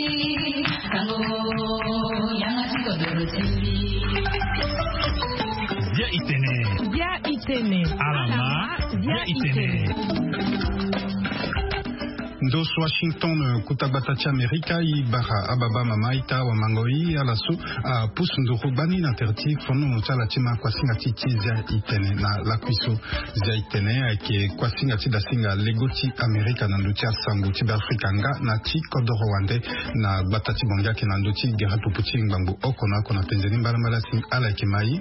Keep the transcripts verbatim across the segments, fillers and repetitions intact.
Bia itene. Bia itene. Alama. Bia itene. Ndo so Washington, kuta gbata ti Amerika, i bara ababa mama ita wamango i ala so apusu nduru gbani na tere ti fono ti ala ti ma kuasinga ti ti zia itene na lakui so. Zia itene ayeke kuasinga ti dasinga lego ti Amerika na ndo ti asango ti Beafrika nga na ti kodoro wande na gbata ti Bangui ayeke na ndo ti gere tupu ti ngbangbo oko na oko na penze ni mbalambala si ala yeke ma i.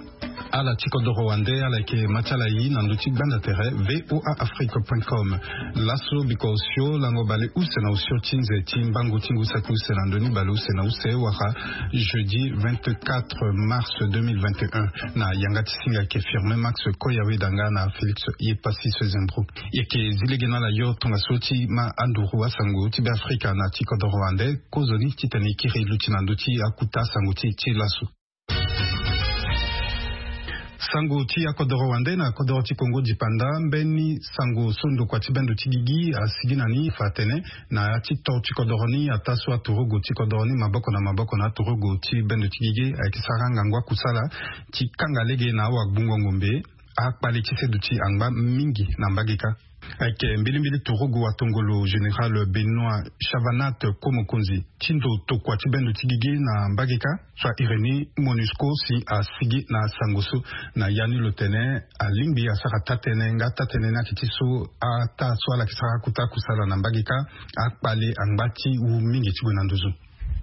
Ala ti kodoro wande ala yeke ma ti ala i na ndo ti gbanda tere V O A Afrique point com. Laso biko osio lango bale use na osio ti nze ti mbangu ti ngu saki use na ndo ni bale use na use wala jeudi vingt-quatre mars deux mille vingt et un. Na yanga ti singa yeke Firmin Max Koyawe danga na Félix Yepassi Sezembro. Yeke zi lege na ala yo tongaso ti ma anduru asango ti Beafrika na ti kodoro wande kozoni titene e kiri luti na ndo ti akuta asango ti ti laso. Sango ti akodoro wande na kodoro ti Kongo dipanda, mbeni sango so ndokua ti bendo ti gigi asigi na ni fa atene na ya ti to ti kodoro ni ataa so aturugu ti kodoro ni maboko na maboko na aturugu ti bendo ti gigi ayeke sara ngangu akusala ti kanga lege na awagbungo ngombe akpale ti seduti angba mingi na mbageka. Ayeke mbilimbili turugu atongolo général Benoît Chavanat Komokonzi ti ndo tokua ti bendo ti gigi na mbageka so a iri ni MONUSCO si asigi na sango so. Na ya ni lo tene alingbi asara taa-tënë nga taa-tënë ni ayeke ti so ataa so ala yeke sara akuta akusala na mbageka akpale angba ti wu mingi ti gue na nduzu.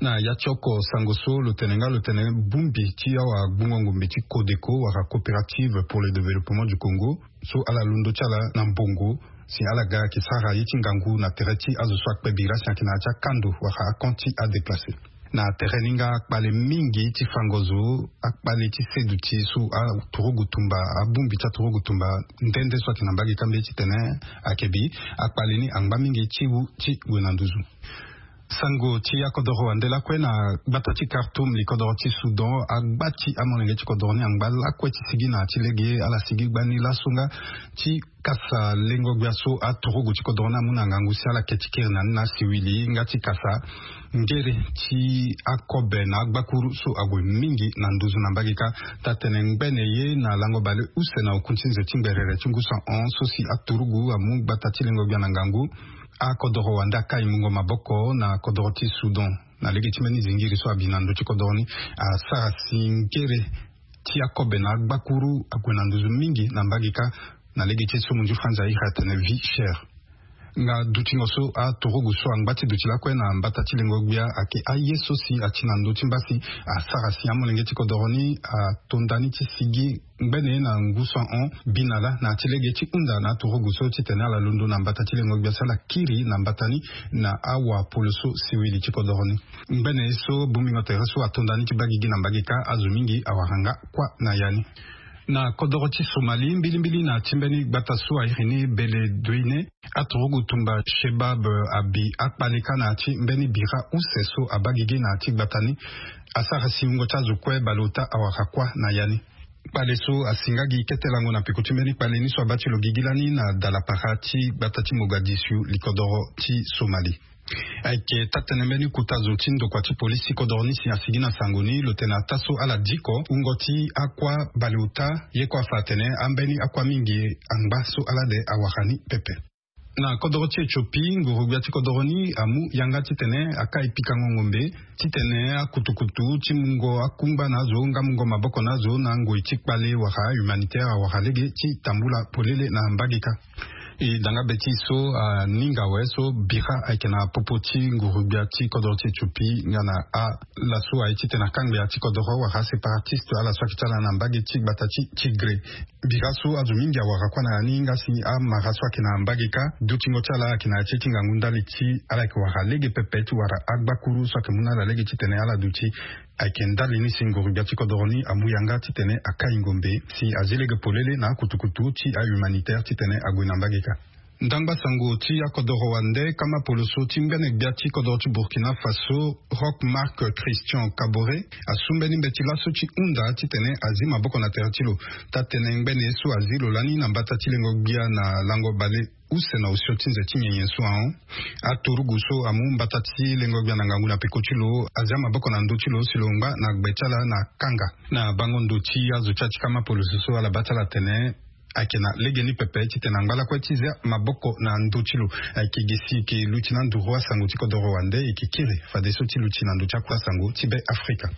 Na ya ti oko sango so lo tene nga lo tene bongbi ti awagbungo ngombe ti CODECO wala Coopérative pour le Développement du Congo so ala londo ti ala na mbongo si ala ga ayeke sara ye ti ngangu na tere ti azo so akpe bira si ayeke na ya ti akando wala akan ti adéplacé. Na tere ni nga akpale mingi ti fango zo akpale ti seduti so aturugu tumba abongbi ti aturugu tumba nde nde so ayeke na mbageka mbe titene ayeke bi akpale ni angba mingi ti wu ti gue na nduzu. Sango ti akodoro wande lakue na gbata ti Khartoum likodoro ti Soudan agba ti amolenge ti kodoro ni angba lakue ti sigi na ti lege ala sigi gbani laso nga ti kasa lengo-gbia so aturugu ti kodoro ni amu na ngangu si ala ke ti kiri na ni na asiwili nga ti kasa ngere ti akobe na agbakuru so ague mingi na nduzu na mbageka. Taa-tënë ngbene ye na lango bale use na oku ti nze ti ngberere ti ngu so ahon so si aturugu amu gbata ti lengo-gbia na ngangu. Akodoro wande akai mungo maboko na kodoro ti Soudan na lege ti mbeni zingiri so abi na ndö ti kodoro ni asara si ngere ti akobe na agbakuru ague na nduzu mingi na mbageka. Na lege ti so munzu franza iri atene vie chère. Nga dutingo so aturugu so angba ti duti lakue na mbata ti lengo-gbia ayeke aye so si ati na ndö ti mbasi asara si amolenge ti kodoro ni ato nda ni ti sigi ngbene na ngu so ahon bi na laa na ya ti lege ti hunda na aturugu so titene ala londo na mbata ti lengo-gbia so ala kiri na mbata ni na awapolo so siwili ti kodoro ni. Ngbene ye so bongbingo tere so ato nda ni ti baa gigi na mbageka azo mingi awara nga kuâ na ya ni. Na kodoro ti Somalie mbilimbili na ya ti mbeni gbata so airi ni Beledweyne, aturugu tumba Shebab abi akpale kâ na ya ti mbeni bira use so abaa gigi na ya ti gbata ni asara si wungo ti azo kue baleota awara kuâ na ya ni. Kpale so asi nga gi kete lango na peko ti mbeni kpale ni so abaa ti lo gigi lani na dalapara ti gbata ti Mogadishu likodoro ti Somalie. Ayeke taa-tënë mbeni kota zo ti ndokua ti polisi ti kodoro ni si asigi na sango ni lo tene ataa so ala diko wungo ti akuâ baleota ye kue afa atene ambeni akuâ mingi angba so ala de awara ni pepe. Na kodoro ti Ethiopie nguru-gbia ti kodoro ni amu yanga titene akai pikango ngombe titene akutukutu ti mungo akungba na azo nga mungo maboko na azo na ngoi ti kpale wala humanitaire awara lege ti tambula polele na mbageka. E danga be ti so aninga awe so bira ayeke na popo ti nguru-gbia ti kodoro ti Ethiopie nga na ala so aye titene akangbe ya ti kodoro wala aséparatiste ala so ayeke ti ala na mbage ti gbata ti Tigré. Bira so azo mingi awara kuâ na ya ni nga si amara so ayeke na mbageka dutingo ti ala ayeke na ya ti ye ti ngangu ndali ti ala yeke wara lege pepe ti wara agbakuru so ayeke mu na ala lege titene ala duti. Ayeke ndali ni si nguru-gbia ti kodoro ni amu yanga titene akai ngombe si azi lege polele na akutukutu ti ahumanitaire titene ague na mbageka. Ndangba sango ti akodoro wande kama poloso ti mbene gbia ti kodoro ti Burkina Faso, Rock Marc Christian Kabore, asu mbeni mbeti laso ti hunda titene azi maboko na tere ti lo. Taa-tënë ngbene ye so azi lo lani na mbata ti lengo gbia na lango bale use na osio ti nze ti nyenye so ahon. Aturugu so amu mbata ti lengo gbia na ngangu na peko ti lo azia maboko na ndö ti lo si lo ngba na gbe ti ala na kanga. Na bango ndo ti azo ti atikama poloso so ala baa ti ala atene ayeke na legeni pepe titene angba lakue ti zia maboko na ndö ti lo. Ayeke gi si e yeke luti na nduru asango ti kodoro wande, e yeke kiri fadeso ti luti na ndö ti akura sango ti Be Afrika.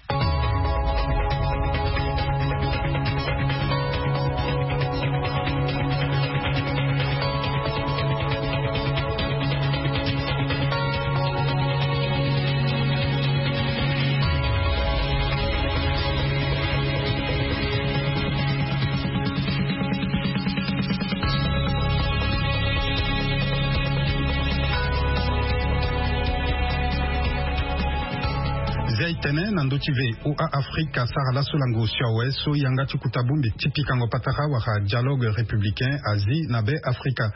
Zia e tene na ndö ti V O A Afrika asara laso lango osio awe so yanga ti kuta bongbi ti pikango patara wala dialogue républicain azi na Be Afrika.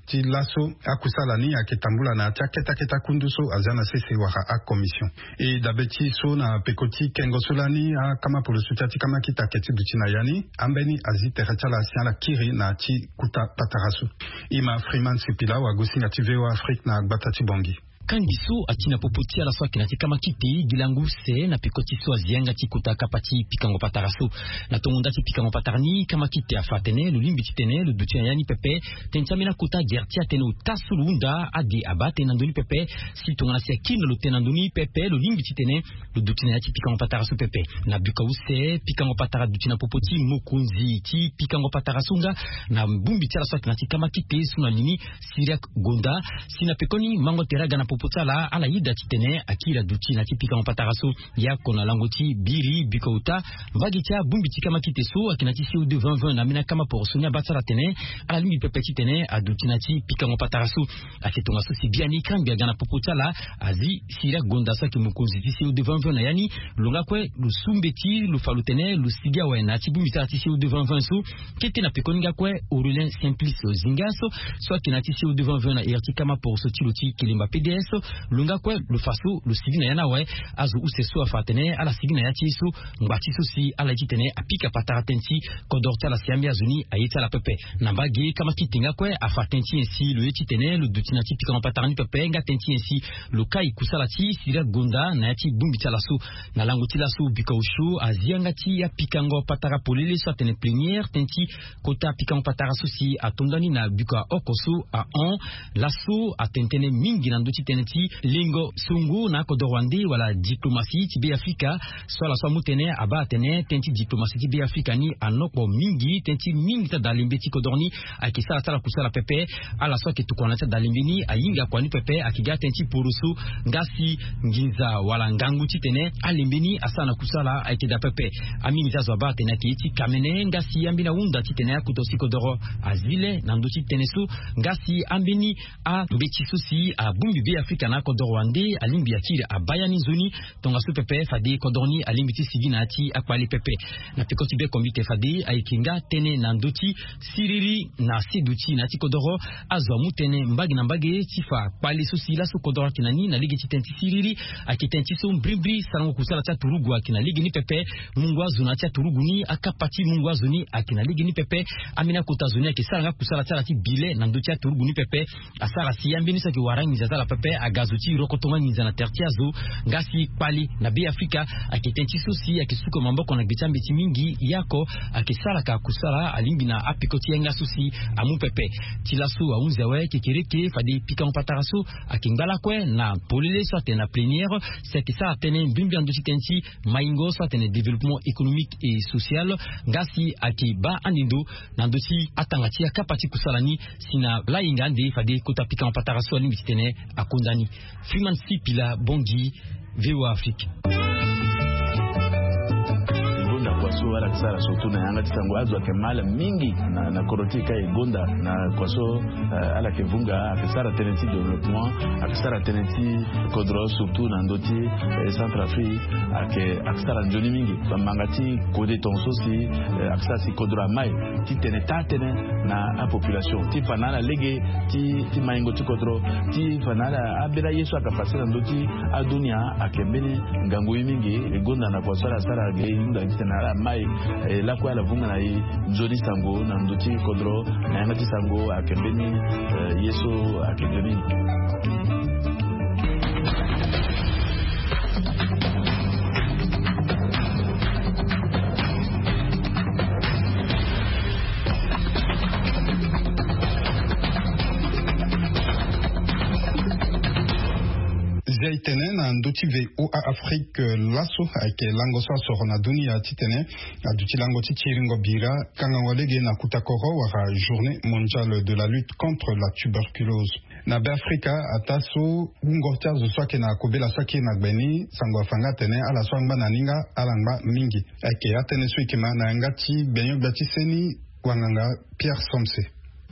Ti laso akusala ni ayeke tambula na ya ti akete akete akundu so azia na sese wala akomission. E dabe ti so na peko ti kengo so lani akama poloso ti ya ti kama kita ayeke ti duti na ya ni, ambeni azi tere ti ala si ala kiri na ya ti kuta patara so. E ma Freeman Sipila, wagosinga ti V O A Afrique na gbata ti Bangui. Kangi so ati na popo ti ala so ayeke na ya ti kama kite gi lango use na peko ti so azi yanga ti kota kapa ti pikango patara so. Na tongo nda ti pikango patara ni, kama kite afa atene lo lingbi titene lo duti na ya ni pepe. Tënë ti ambeni akota gere ti atene ota so lo hunda ade abaa tënë na ndö ni pepe. Si tongana si akiri na lo tënë na ndö ni pepe, lo lingbi titene lo duti na ya ti pikango patara so pepe. Na bika use, pikango patara aduti na popo ti mokonzi ti pikango patara so nga na bongbi ti ala so ayeke na ya ti kama kite so na li ni, Cyriaque Gonda. Si na pekoni mango tere aga na popo ti ala, ala yeda titene akiri aduti na ya ti pikango patara so. Ye oko na lango ti biri biko ota, mbage ti abongbi ti kama kite so ayeke na ya ti C O deux vingt vingt na ambeni akama poroso ni abaa ti ala atene ala lingbi pepe titene aduti na ya ti pikango patara so. Ayeke tongaso si biani kangbi aga na popo ti ala, azi Cyriaque Gonda so ayeke mokonzi ti C O deux vingt vingt na ya ni. Lo nga kue lo su mbeti lo fa lo tene lo sigi awe na ya ti bongbi ti ala ti C O deux vingt vingt so. Kete na pekoni nga kue Aurélien Simplice Zinga so, so ayeke na ya ti C O deux vingt vingt na iri ti kama poroso ti lo ti kelemba P D S. Lo nga kue lo fa so lo sigi na ya ni awe. Azo use so afa atene ala sigi na ya ti ye so, ngba ti so si ala ye titene apika patara tënë ti kodoro ti ala si ambeni azo ni aye ti ala pepe. Na mbage kama kite nga kue afa tënë ti nyen si lo ye titene lo duti na ya ti pikango patara ni pepe, nga tënë ti nyen si lo kai kusala ti Cyriaque Gonda na ya ti bongbi ti ala so. Na lango ti laso biko osio azi yanga ti apikango patara polele so atene plénière, tënë ti kota pikango patara so si ato ndani na biko aoko so ahon. Laso atene tënë mingi na ndö ti tënë ti lengo songo na akodoro wande wala diplomatie ti Be Afrika. So ala so amu tënë abaa atene tënë ti diplomatie ti Be Afrika ni anokpo mingi. Tënë ti mingi ti adalembe ti kodoro ni ayeke sara ti ala kusala pepe. Ala so ayeke tokua na ya ti adalembe ni ahinga kua ni pepe, ayeke ga tënë ti poroso, nga si nginza wala ngangu titene alembe ni asara na kusala ayeke daa pepe. Amingi ti azo abaa atene ayeke ye ti kamene, nga si ambeni ahunda titene akota si kodoro azi le na ndö ti tënë so, nga si ambeni ambeti so si abongbi Be Afrika na akodoro wande alingbi akiri abaa ya ni nzoni. Tongaso pepe fade kodoro ni alingbi ti sigi na ya ti akpale pepe. Na peko ti be kombite fade ayeke nga tënë na ndö ti siriri na seduti na ya ti kodoro. Azo amu tënë mbage na mbage ti fa kpale so si laso kodoro ayeke na ni na lege ti tënë ti siriri. Ayeke tënë ti so mbrimbri sarango kusala ti aturugu ayeke na lege ni pepe. Mungo azo na ya ti aturugu ni, akapa ti mungo azo ni ayeke na lege ni pepe. Ambeni akota zo ni ayeke sara nga kusala ti ala ti bi le na ndö ti aturugu ni pepe. Asara si ambeni so ayeke wara nginza ti ala pepe aga zo ti rokoto nga nginza na tere ti azo. Nga si kpale na Be Afrika ayeke tënë ti so si ayeke suka maboko na gbe ti ambeti mingi. Ye oko ayeke sara ka kusala alingbi na apeko ti yanga so si amu pepe. Ti laso ahunzi awe kekereke fade pikango patara so ayeke ngba lakue na polele so atene na plénière, si ayeke sara tënë mbrimbri na ndö ti tënë ti maingo so atene développement économique et social. Nga si ayeke baa ande ndo na ndö ti atanga ti akapa ti kusala ni, si na lahinga ande fade kota pikango patara so alingbi titene akonda ni. Freeman Sipila, Bangui, V O A Afrique. So ala yeke sara surtout na yanga ti sango azo ayeke mal mingi na, na kodro ti e ka e gonda na kua so, eh, ala yeke vunga, ayeke sara tënë ti développement, ayeke sara tënë ti kodro surtout na ndö ti, eh, Centrafrique, ayeke, ayeke sara nzoni mingi. Bamanga ti kode tongaso si, eh, ayeke sara si kodro amai ti tene taa-tënë na apopulation ti fa na ala lege ti, ti maingo ti kodro, ti fa na ala ambeni aye so ayeke pase na ndö ti adunia ayeke mbeni ngangu ye mingi. E gonda na kua so ala sara ge e hunda titene ala mai, eh, lakue ala vunga na e nzoni sango na ndö ti kodro na yanga ti sango ayeke mbeni, eh, ye so ayeke nzoni. Zia e tene na ndö ti V O A Afrique, eh, laso ayeke lango so asoro na dunia titene aduti lango ti tiringo bira kangango lege na kutakoro wala journée mondiale de la lutte contre la tuberculose. Na Beafrika, ataa so wungo ti azo so ayeke na kobela so ayeke na gbe ni, sango afa nga atene ala so angba na ni nga ala ngba mingi. Ayeke atënë so e yeke ma na yanga ti gbenyo-gbia ti seni, wanganga Pierre Somse.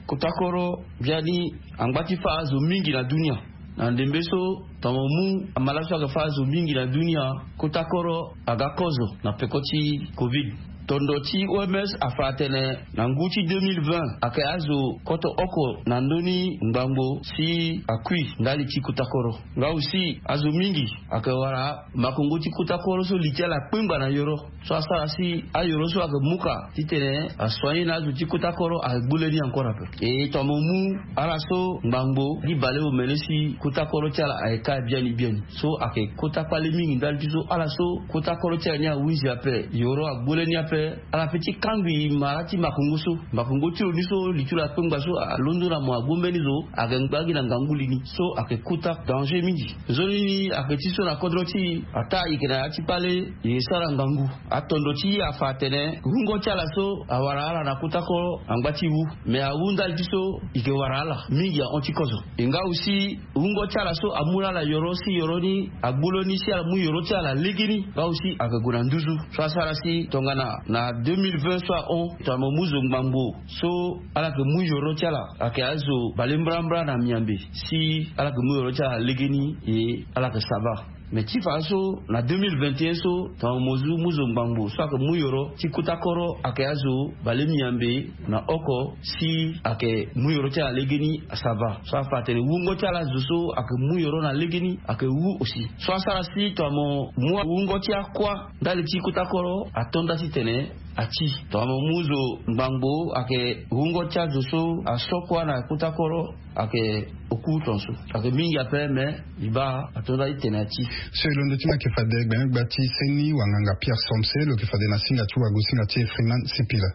Kutakoro biani angba ti fâ azo mingi na dunia. Na ndembe so tongana mu amala so ayeke fâ azo mingi na dunia, kutakoro aga kozo na peko ti covid. Tondo ti O M S afa atene na ngu ti deux mille vingt ayeke azo koto oko na ndö ni ngbangbo si akui ndali ti kutakoro. Nga aussi azo mingi ayeke wara makongo ti kutakoro so li ti ala akpengba na yoro. So asara si ayoro so ayeke muka titene asoigner na azo ti kutakoro agbule ni encore ape. E tongana mo mu ala so ngbangbo, ni bale omene si kutakoro ti ala ayeke ka biani biani. So ayeke kota kpale mingi ndali ti so ala so kutakoro ti ala ni awizi ape, yoro agbole ni ape, ala pe ti kangbi mara ti makongo so. Makongo ti lo ni so li ti lo akpengba so alondo na mo agbu mbeni zo, ayeke ngba gi na ngangu li ni. So ayeke kota danger mingi. Nzoni ni ayeke ti so na kodro ti e, ataa e yeke na ya ti kpale, e sara ngangu. Atondo ti e afa atene wungo ti ala so awara ala na kutakoro angba ti wu. Me awu ndali ti so e yeke wara ala mingi ahon ti kozo. E nga aussi wungo ti ala so amu na ala yoro si yoro ni agbolo ni si ala mu yoro ti ala legeni, nga aussi ayeke gue na nduzu. So asara si tongana na deux mille vingt so ahon, tongana mo mu zo ngbangbo so ala yeke mu yoro ti ala ayeke azo bale mbrambra na miambe, si ala yeke mu yoro ti ala legeni, e ala yeke sava. Me ti fa so na deux mille vingt et un so, tongana mo zu mu zo ngbangbo so ayeke mu yoro ti kutakoro ayeke azo bale miambe na oko, si ayeke mu yoro ti ala legeni asava. So afa atene wungo ti ala zo so ayeke mu yoro na legeni ayeke wu aussi. So asara si tongana mo mu wungo ti akuâ ndali ti kutakoro ato nda titene ati. Tongana mo mu zo ngbangbo ayeke wungo ti azo so aso kuâ na kutakoro ayeke oku tongaso. Ayeke mingi ape, me e baa ato nda ti tene ati. So e londo ti ma yeke fade gbene gbia ti seni wanganga Pierre Somse, lo yeke fade na singa ti wago singa ti e Freeman Sipila.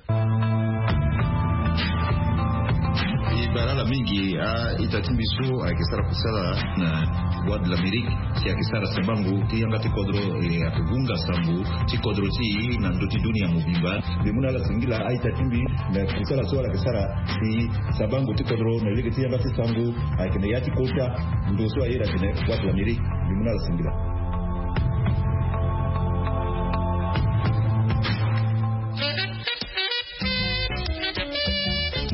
E bara ala mingi a-ita ti mbi so ayeke sara kusala na Voix de l'Amérique, si ayeke sara sabango ti yanga ti kodro, e, ayeke hunga sango ti kodro ti e na ndö ti dunia mobimba. Mbi mu na ala singila a-ita ti mbi na kusala so ala yeke sara si sabango ti kodro na lege ti yanga ti sango ayeke na ya ti kota ndo so aye atene Voix de l'Amérique. Mbi mu na ala singila.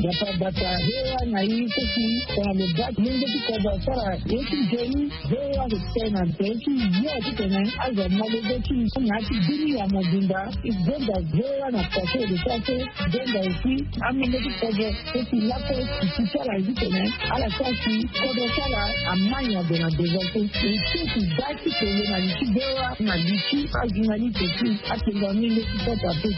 Bata bata V O A na i so si tongana lo baa ti lenge ti kodro asara ye ti nzoni, V O A ayeke tene na tere ti yo titene azo amalege ti i na ya ti dunia mobimba. E gonda V O A na kua so e lo sara so, e gonda aussi amolenge ti kodro so si lakue si ti ala ye titene ala sara si kodro ti ala amai na gue na devant so. E so si daa ti tene na li ti V O A na li ti ajournaliste ti atengo amolenge ti kodro ape.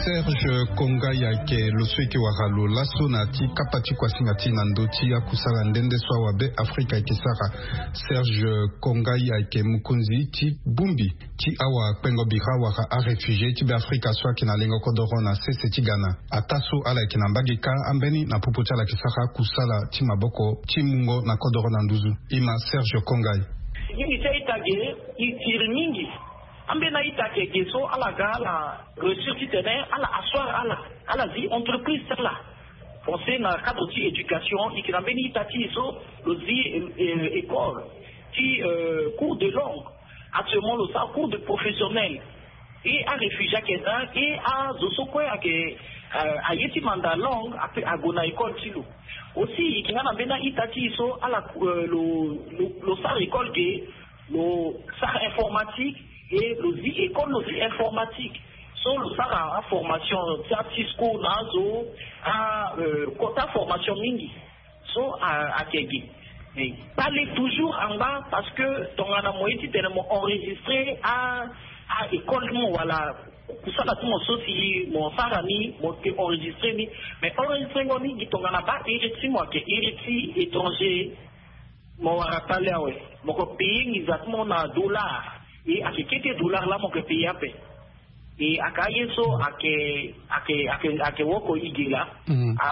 Serge Kongai ayeke lo so e yeke wara lo laso na ya ti kapa ti kuasinga ti e na ndö ti akusala nde nde so awabe Afrika ayeke sara. Serge Kongai ayeke mokonzi ti bongbi ti awakpengo bira wala aréfugié ti Beafrika so ayeke na lengo kodoro na sese ti Ghana. Ataa so ala yeke na mbage kâ ambeni na popo ti ala yeke sara kusala ti maboko ti mungo na kodoro na nduzu. E ma Serge Kongai. Mingi ti a-ita ge, e tiri mingi. Ambeni a-ita ayeke ge so ala ga ala réussir titene ala asseoir ala, ala zi entreprise ti ala. Français na cadre ti éducation, e yeke na mbeni ita ti e so lo zi école ti cours de langue. Actuellement lo sara cours de professionnel. E aréfugié ayeke daa, e azo so kue ayeke aye ti manda langue ape ague na école ti lo. Aussi e yeke nga na mbeni a-ita ti e so ala lo sara école ge, lo sara informatique. E lo zi école lo zi informatique. So lo sara aformation ti acisco na azo akota formation mingi. So ayeke ge, kpale toujours angba parce que tongana mo ye titene mo enregistré a école ti mo wala kusala ti mo so si mo sara ni mo yeke enregistré ni. Mais enregistré ngo ni gi tongana baa iri ti mo ayeke iri ti étranger. Mo wara kpale awe. Mo yeke payer nginza ti mo na dollar. E ayeke kete dollar laa mo yeke payer ape. E ayeke aye so ayeke ayeke ayeke ayeke woko e ge laa.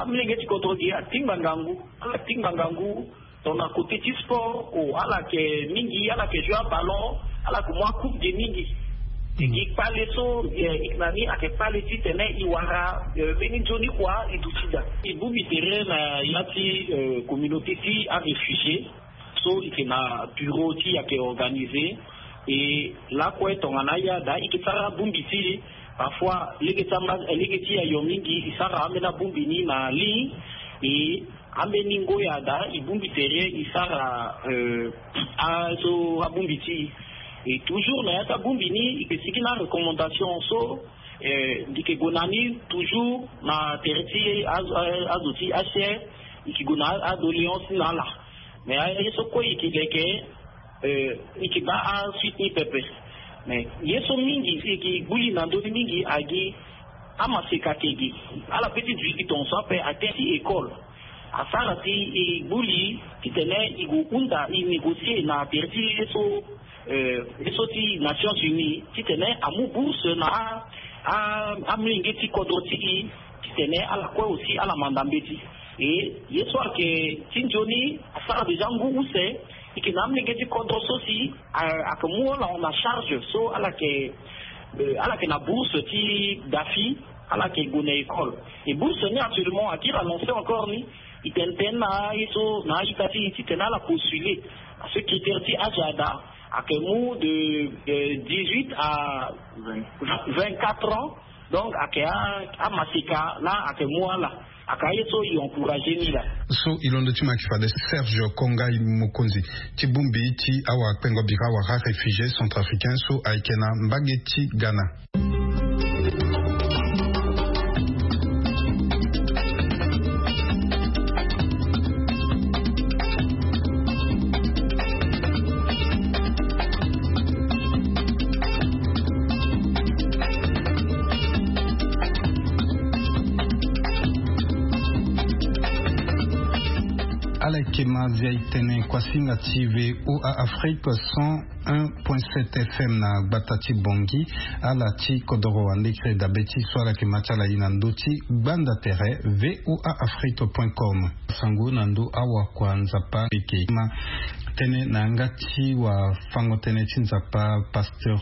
Amolenge ti kodro ge atingba ngangu. Ala tingba ngangu tongana côté ti sport o ala yeke mingi ala yeke jouer aballon. Ala yeke mu acoupe ge mingi. E gi kpale so e yeke na ni ayeke kpale titene e wara mbeni nzoni kua e duti daa. E bongbi tere na ya ti communauté ti aréfugié. So e yeke na bureau ti e ayeke organisé. E lakue tongana aye ada e yeke sara abongbi ti e. Parfois lege ti amba lege ti e ayo mingi e sara ambeni abongbi ni na ligne. E ambeni ngoi ada e bongbi tere e sara aso abongbi ti e. E toujours na ya ti abongbi ni e yeke sigi na arecommandation so e mbi yeke gue na ni toujours na tere ti azo ti H C R. E yeke gue na adoléance ti na ala. Mais aye so kue e yeke leke e yeke baa asuite ni pepe. Mais ye so mingi e yeke gbu li na ndö ni mingi agi amaseka ayeke gi ala pe ti duti gi tongaso ape ate ti école. Asara si e gbu li titene e gue hunda e négocier na tere ti ye so ye so ti Nations Unies titene amu bourse na amolenge ti kodro ti e. Titene ala kue aussi ala manda mbeti. E ye so ayeke ti nzoni asara déjà ngu use. E yeke na amolenge ti kodro so si ayeke mu ala en charge so ala yeke ala yeke na bourse ti dafi. Ala yeke gue na école. E bourse ni actuellement ayeke renoncer encore ni. E tene tënë na aye so na a-ita ti e titene ala postuler. Parce que critère ti âge ada ayeke mu de dix-huit à vingt-quatre ans. Donc ayeke amaseka laa ayeke mu ala. Ayeke aye so e encourager ni laa. So e londo ti mo ayeke fade Serge Kongai, mokonzi ti bongbi ti awakpengo bira wala aréfugié centrafricain so ayeke na mbage ti Ghana. Ala yeke ma zia e tene kuasinga ti V O A Afrique cent un point sept F M na gbata ti Bangui. Ala ti kodoro wande kiri dabe ti so ala yeke ma ti ala ye na ndö ti gbanda tere V O A Afrique point com. Sango na ndö awakua Nzapa e yeke ma tënë na yanga ti wafango tënë ti Nzapa, pasteur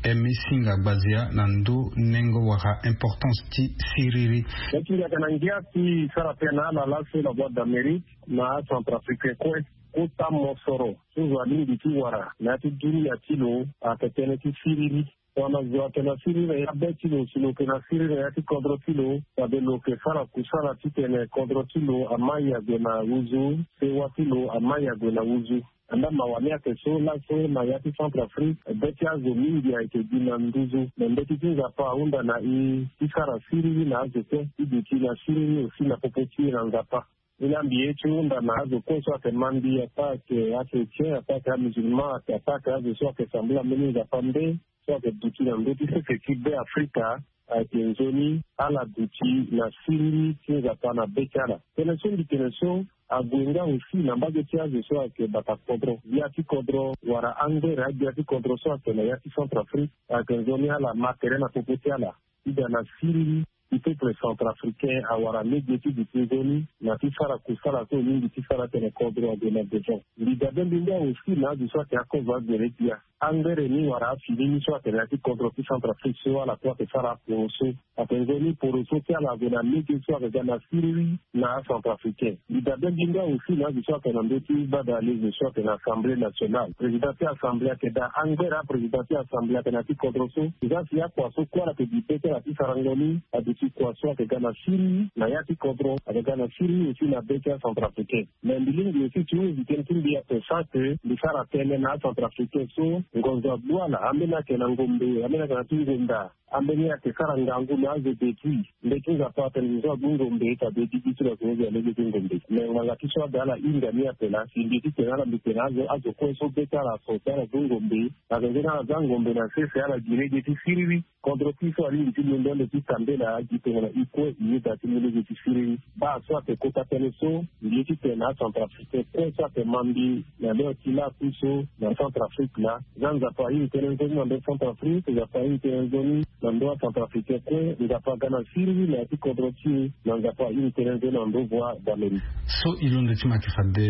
Aimé Singa Gbazia na ndö nengo wala importance ti siriri. Mo ti ngia yaka na ngia ti sara tënë na ala laso na Voix d'Amérique na acentrafricain kue. Kota mosoro so zo alingbi ti wara na ya ti dunia ti lo ayeke tënë ti siriri. Tongana zo ayeke na siriri na ya be ti lo si lo yeke na siriri na ya ti kodro ti lo, fade lo yeke sara kusala titene kodro ti lo amai ague na wuzu, sewa ti lo amai ague na wuzu. Anda mawa ni ayeke so laso na ya ti Centrafrique be ti azo mingi ayeke gi na nduzu. Me mbeti ti Nzapa ahunda na e ti sara siriri na azo kue ti duti na siriri aussi na popo ti e na Nzapa. Ni laa mbi ye ti hunda na azo kue so ayeke ma mbi, ataa ayeke achrétien, ataa ayeke amusulman, ataa ayeke azo so ayeke sambela mbeni Nzapa nde so ayeke duti na ndö ti sese ti Be Afrika. Ayeke nzoni ala duti na siriri ti Nzapa na be ti ala. Tënë so mbi tene so ague nga aussi na mbage ti azo so ayeke bata kodro, gbia ti kodro wala angere agbia ti kodro so ayeke na ya ti Centrafrique. Ayeke nzoni ala ma tere na popo ti ala ti ga na siriri. ti peuple centrafricain awara lege ti duti nzoni na ti sara kusala so e lingbi ti sara tene kodro ague na besoin. Mbi dabe mbi ngia aussi na azo so ayeke akozo agere gbia. Angbere ni wala afini ni so atene na ya ti kodro ti Centrafrique so ala kue ayeke sara aporo so. Ayeke nzoni poro so ti ala ague na lege so ayeke ga na siriri na acentrafricain. Mbi dabe mbi ngia aussi na azo so ayeke na ndö ti gbada lege so ayeke na Assemblée nationale. Président ti Assemblée ayeke daa angbere aprésident ti Assemblée ayeke na ya ti kodro so. Eza si akua so kue ala yeke gi be ti ala ti sarango ni aduti kua so ayeke ga na siriri na ya ti kodro ayeke ga na siriri aussi na be ti acentrafricain. Mais mbi lingbi aussi ti hunda tënë ti mbi ape ça que mbi sara tënë na acentrafricain so ngonzo agbu ala ambeni ayeke na ngombe ambeni ayeke na ti ngonda. Ambeni ayeke sara ngangu na azo depuis nde ti Nzapa atene ngonzo agbu ngombe fade didi ti lo ayeke ngonzo ya lege ti ngombe. Mais nganga ti so ada ala hinga ni ape laa si mbi ti tene ala mbi tene azo azo kue so be ti ala so ti ala gbu ngombe. Ayeke nzoni ala za ngombe na sese ala gi lege ti siriri. Kodro ti so alingbi ti londo ande ti tambela gi tongana i kue i yeda ti mu lege ti siriri. Baa so ayeke kota tënë so mbi ye ti tene na acentrafricain kue so ayeke ma mbi na leo ti laa ku so na Centrafrique laa. Za Nzapa ahinga tënë nzoni na ndö Centrafrique, Nzapa ahinga tënë nzoni na ndö acentrafricain kue. Nzapa aga na siriri na ya ti kodro ti e. Na Nzapa ahinga tënë nzoni na ndö Voix d'Amérique. So e londo ti ma ayeke fade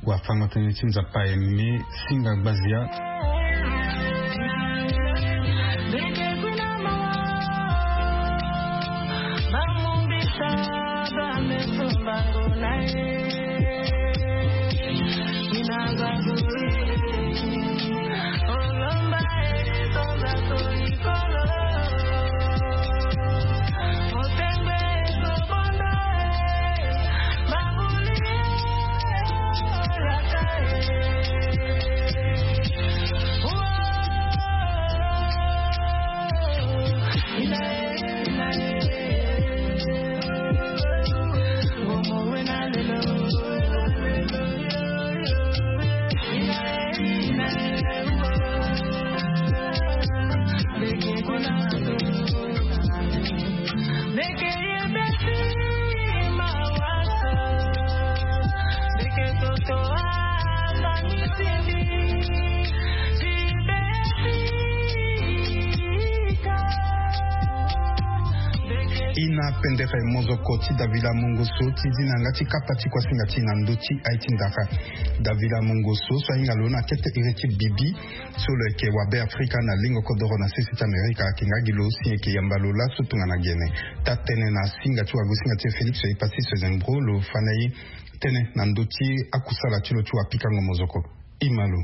wafango-tënë ti Nzapa aye mbi singa gbazia. Ina pendere mozoko ti Davila Mongoso ti zi na yanga ti kapa ti kuasinga ti na ndö ti aye ti ndara. Davila Mongoso so ahinga lo na kete iri ti bibi so lo yeke wabe Afrika na lingo kodoro na sese ti Amerika ayeke nga gi lo si e yeke yamba lo laso tongana gene. Taa-tënë na singa ti wagosinga ti e Félix Epassis Sezembro lo fa na e tënë na ndö ti akusala ti lo ti wapikango mozoko. Ima lo.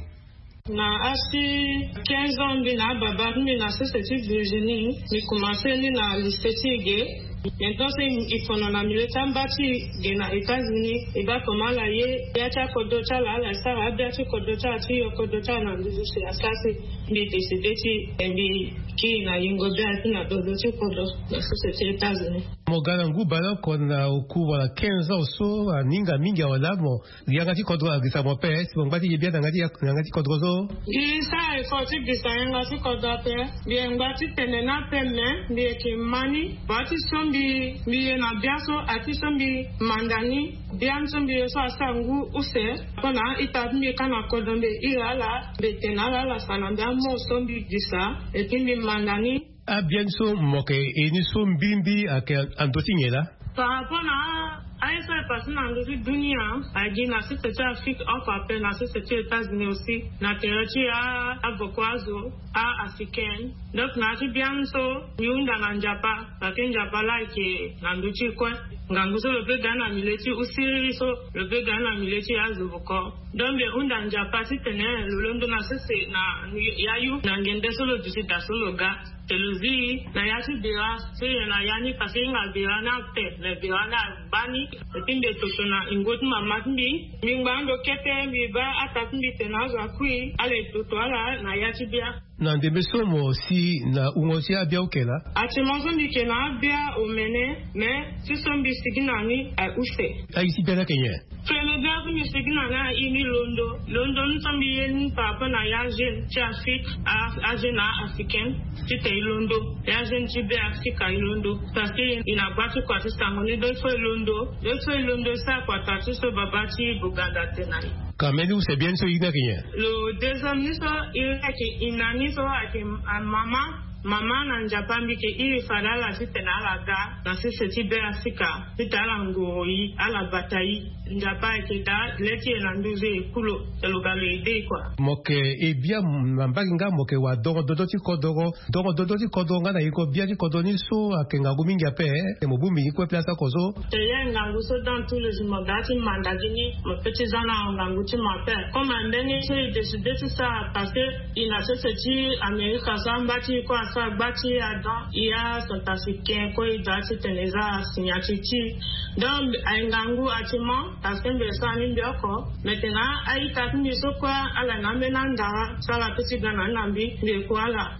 Na asi quinze ans mbi na ababa ti mbi na sese ti Virginie. Mbi komanse ni na lycée ti e ge. Maintenant so e fono na milieu ti amba ti e ge na États-Unis, e baa comment ala ye, ya ti akodro ti ala, ala sara abia ti kodro ti ala ti yo kodro ti ala na nduzu si asara si mbi décide ti e mbi kiri na yingo bia ti na dodo ti kodro na sese ti États-Unis. Mo ga na ngu baleoko na oku wala quinze ans so aninga mingi awe laa mo yanga ti kodro agisa mo ape si mo ngba ti ye bia na yanga ti, na yanga ti kodro so. Mbi sara effort ti gisa yanga ti kodro ape. Mbi yeke ngba ti tene ni ape me mbi yeke ma ni. Wa ti so mbi, mbi ye na bia so, a ti so mbi manda ni. Bia ni so mbi ye so asara ngu use. Apo na a-ita ti mbi ka na kodro mbi iri ala, mbi tene ala, ala sara na mbi amo so mbi gisa. Et puis mbi manda ni. Abiani so mo yeke e ni so mbirimbiri ayeke na ndö ti nyen laa? Par rapport na aye so e pase na ndö ti dunia, agi na sese ti Afrique, oko ape na sese ti États-Unis aussi, na tere ti a, avoko azo, a-africaine. Donc na ya ti biani so mbi hunda na Nzapa, parce que Nzapa laa ayeke na ndö ti e kue. Ngangu so lo peut ga na milieu ti usiri so, lo peut ga na milieu ti azo voko. Donc mbi hunda Nzapa titene lo londo na sese na yayu na ngende so lo duti daa so lo ga. Te lo zi na ya ti bira so e na ya ni, parce que e hinga bira ni ape, me bira ni agba ni. Et puis mbi toto na ingo ti mama ti mbi. Mbi ngba ando kete, mbi baa ata ti mbi tene azo akui, ala e toto ala na ya ti bia. Na ndembe so mo si na wungo ti abia oke laa? Actuellement so mbi yeke na abia omene, mais ti so mbi sigi na ni aye use. Aye ti bia ni ayeke nyen? Premier bia so mbi sigi na ni aye ni londo. Londo ni so mbi ye ni par rapport na ya jeune ti Afrique, a, ajeune a-africaine, titene e londo. Ya jeune ti be Afrika e londo. Parce que e na gba ti kua ti sango ni, donc il faut e londo. Donc il faut e londo, e sara kua taa ti so baba ti e Boganda atene na e. Ka mbeni use bia ni so iri ni ayeke nyen? Lo deuxième ni so iri ni ayeke ina ni so ayeke mama. Mama na Nzapa mbi yeke iri fade ala titene ala ga na sese ti be asika titene ala ngoro e, ala bata e. Nzapa ayeke daa le ti e na nduzu e kulo. Tene lo ga lo ede e kua. Mo yeke e bia na mbage nga mo yeke wa dongo dodo ti kodoro. Dongo dodo ti kodoro nga na yeko bia ti kodoro ni so ayeke ngangu mingi ape. E mo bongbi ni kue place oko so. Te ye ngangu so dans tous les jours mo daa ti manda gi ni, mo pe ti za na ngangu ti mo ape. Comme ande ni so e décidé ti sara parce que e na sese ti Amerika so amba ti e kue asara gba ti e adan, e acentrafricain kue e daa titene e za signature ti e. Donc aye ngangu actuellement parce que mbi so ani mbi oko. Maintenant a-ita ti mbi so kue ala na ambeni andara so ala pe ti ga na ni na mbi, mbi eko ala.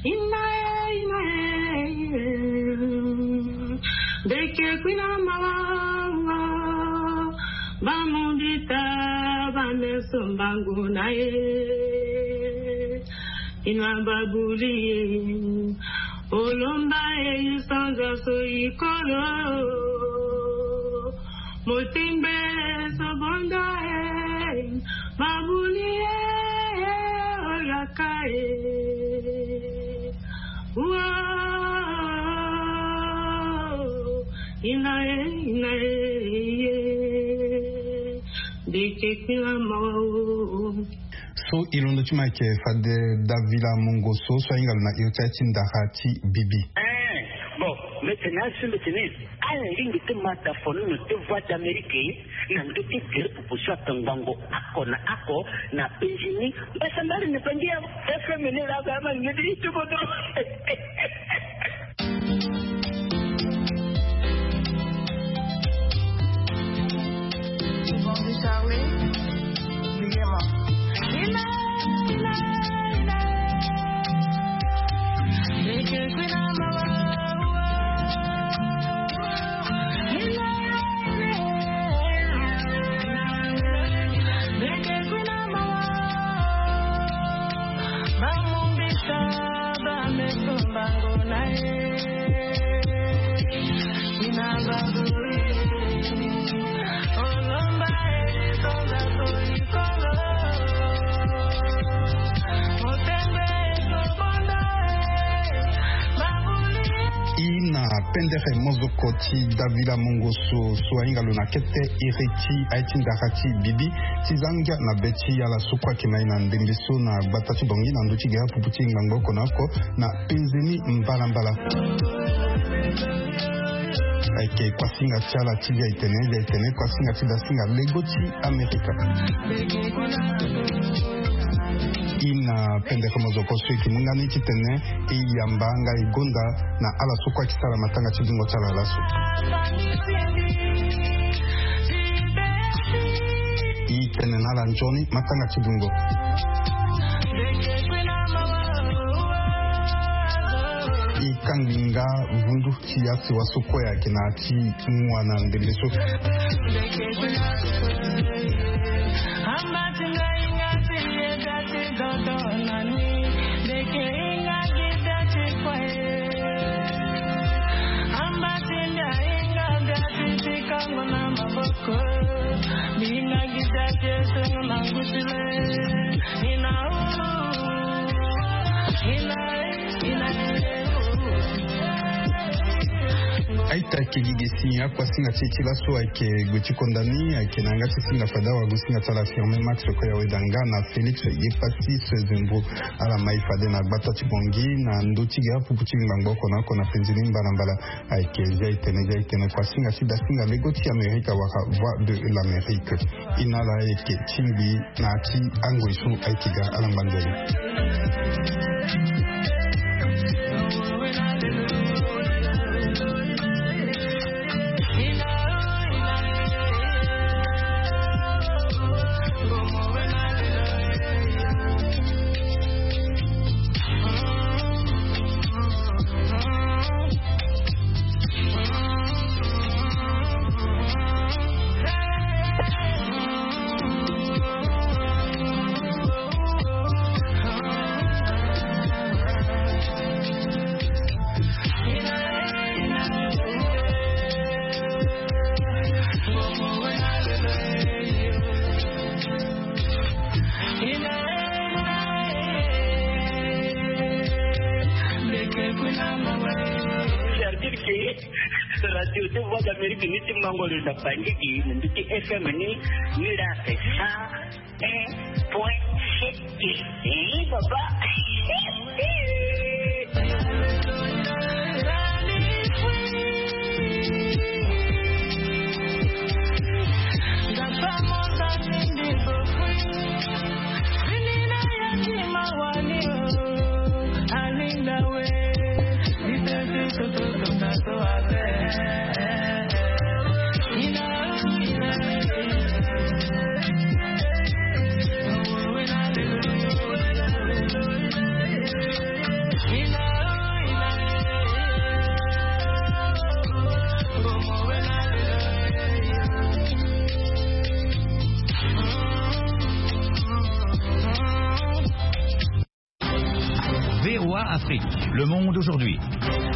Ina e, ina e, ina e. Mbeke kui na mawa, bamumbita, bameso mbangu na e. Ina babuli e, olomba e, isanza so ikolo. Motengbe so bonda e, mabuli e, oyaka e. Uo, ina e, ina e, ye. Mbeke kui na mawa o. So e londo ti mo ayeke fade Davila Mongo so, so ahinga lo na iri ti aye ti ndara ti bibi. Eh, bon, mbi tene asi mbi tene. Ala lingbi ti ma da fonono ti Voix d'Amérique na ndö ti gere pupu so atongbango oko na oko na penzi ni. Mbasambari ni penzi ya F M ni la ba ma ngedi ti bodo. E na pendere mozoko ti Davila Mongo so, so ahinga lo na kete iri ti aye ti ndara ti bibi, ti za ngia na be ti ala so kue ayeke na e na ndembe so na gbata ti Bangui na ndö ti gere pupu ti ngbangbo oko na oko na penze ni mbalambala. Ayeke kuasinga ti ala ti via etene via etene, kuasinga ti dasinga lego ti Amerika. E na pendere mozoko so e yeke mu nga ni titene e yamba nga e gonda na ala so kue ayeke sara matanga ti dungo ti ala laso. E tene na ala nzoni matanga ti dungo. E kangbi nga vundu ti ya sewa so kue ayeke na ya ti mua na ndembe so. Aita, ayeke gi gi si akuasinga ti e ti laso ayeke gue ti konda ni, ayeke na yanga ti singa fade awagosinga ti ala Firmin Max kue ya weda nga na Félix Yepassi Sezembo. Ala mai fade na gbata ti Bangui na ndö ti gere pupu ti ngbangbo oko na oko na penze ni mbalambala. Ayeke zia etene zia etene kuasinga ti dasinga lego ti Amerika wala Voix de l'Amérique. E na ala ayeke tingbi na ya ti angoi so ayeke ga ala ngba nzoni. Ke radio ti Voix d'Amérique ni ti mango lo na Pangiki na mbi ti F M ni, ni la pe cent un point sept. Eh, baba. V O A Afrique, le monde aujourd'hui.